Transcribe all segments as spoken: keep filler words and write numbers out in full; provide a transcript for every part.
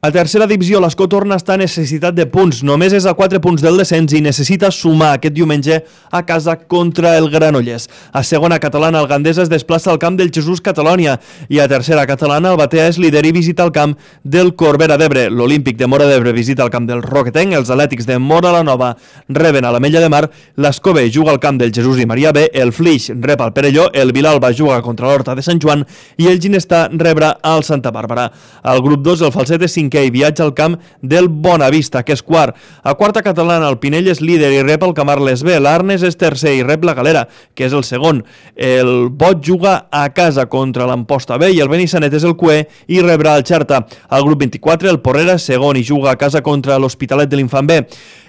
A tercera divisió, l'Escó torna a estar necessitat de punts. Només és a quatre punts del descens i necessita sumar aquest diumenge a casa contra el Granollers. A segona catalana, el Gandesa es desplaça al camp del Jesús Catalònia i a tercera catalana, el Batea és líder i visita el camp del Corbera d'Ebre. L'Olímpic de Móra d'Ebre visita el camp del Roquetenc, els Atlètics de Móra la Nova reben a l'Ametlla de Mar, l'Escó B juga al camp del Jesús i Maria B, el Flix rep al Perelló, el Vilalba juga contra l'Horta de Sant Joan i el Ginestà rebrà al Santa Bàrbara. Al grup dos, el Falset és cinquè i viatja al camp del Bonavista, que és quart. A quarta catalana, el Pinell és líder i rep el Camarles B, l'Arnes és tercer i rep la Galera, que és el segon. El Bot juga a casa contra l'Amposta B i el Benissanet és el cuer i rebrà el Xerta. Al grup vint-i-quatre, el Porrera és segon i juga a casa contra l'Hospitalet de l'Infant B.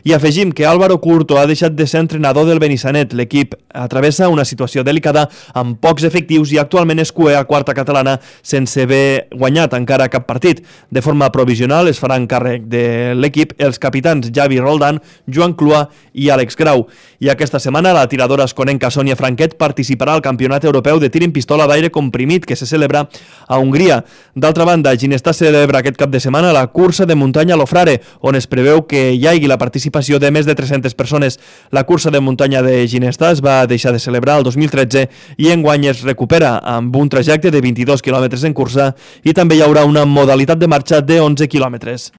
I afegim que Álvaro Curto ha deixat de ser entrenador del Benissanet. L'equip atravessa una situació delicada amb pocs efectius i actualment és cuer a quarta catalana sense haver guanyat encara cap partit. De forma provisional es faran càrrec de l'equip els capitans Javi Roldán, Joan Cluà i Àlex Grau. I aquesta setmana la tiradora esconenca Sònia Franquet participarà al Campionat Europeu de Tir en Pistola d'aire comprimit que se celebra a Hongria. D'altra banda, Ginestà celebra aquest cap de setmana la cursa de muntanya Lofrare, on es preveu que hi hagi la participació de més de tres-centes persones. La cursa de muntanya de Ginestà es va deixar de celebrar el dos mil tretze i enguany es recupera amb un trajecte de vint-i-dos quilòmetres en cursa i també hi haurà una modalitat de marxa de onze quilòmetres.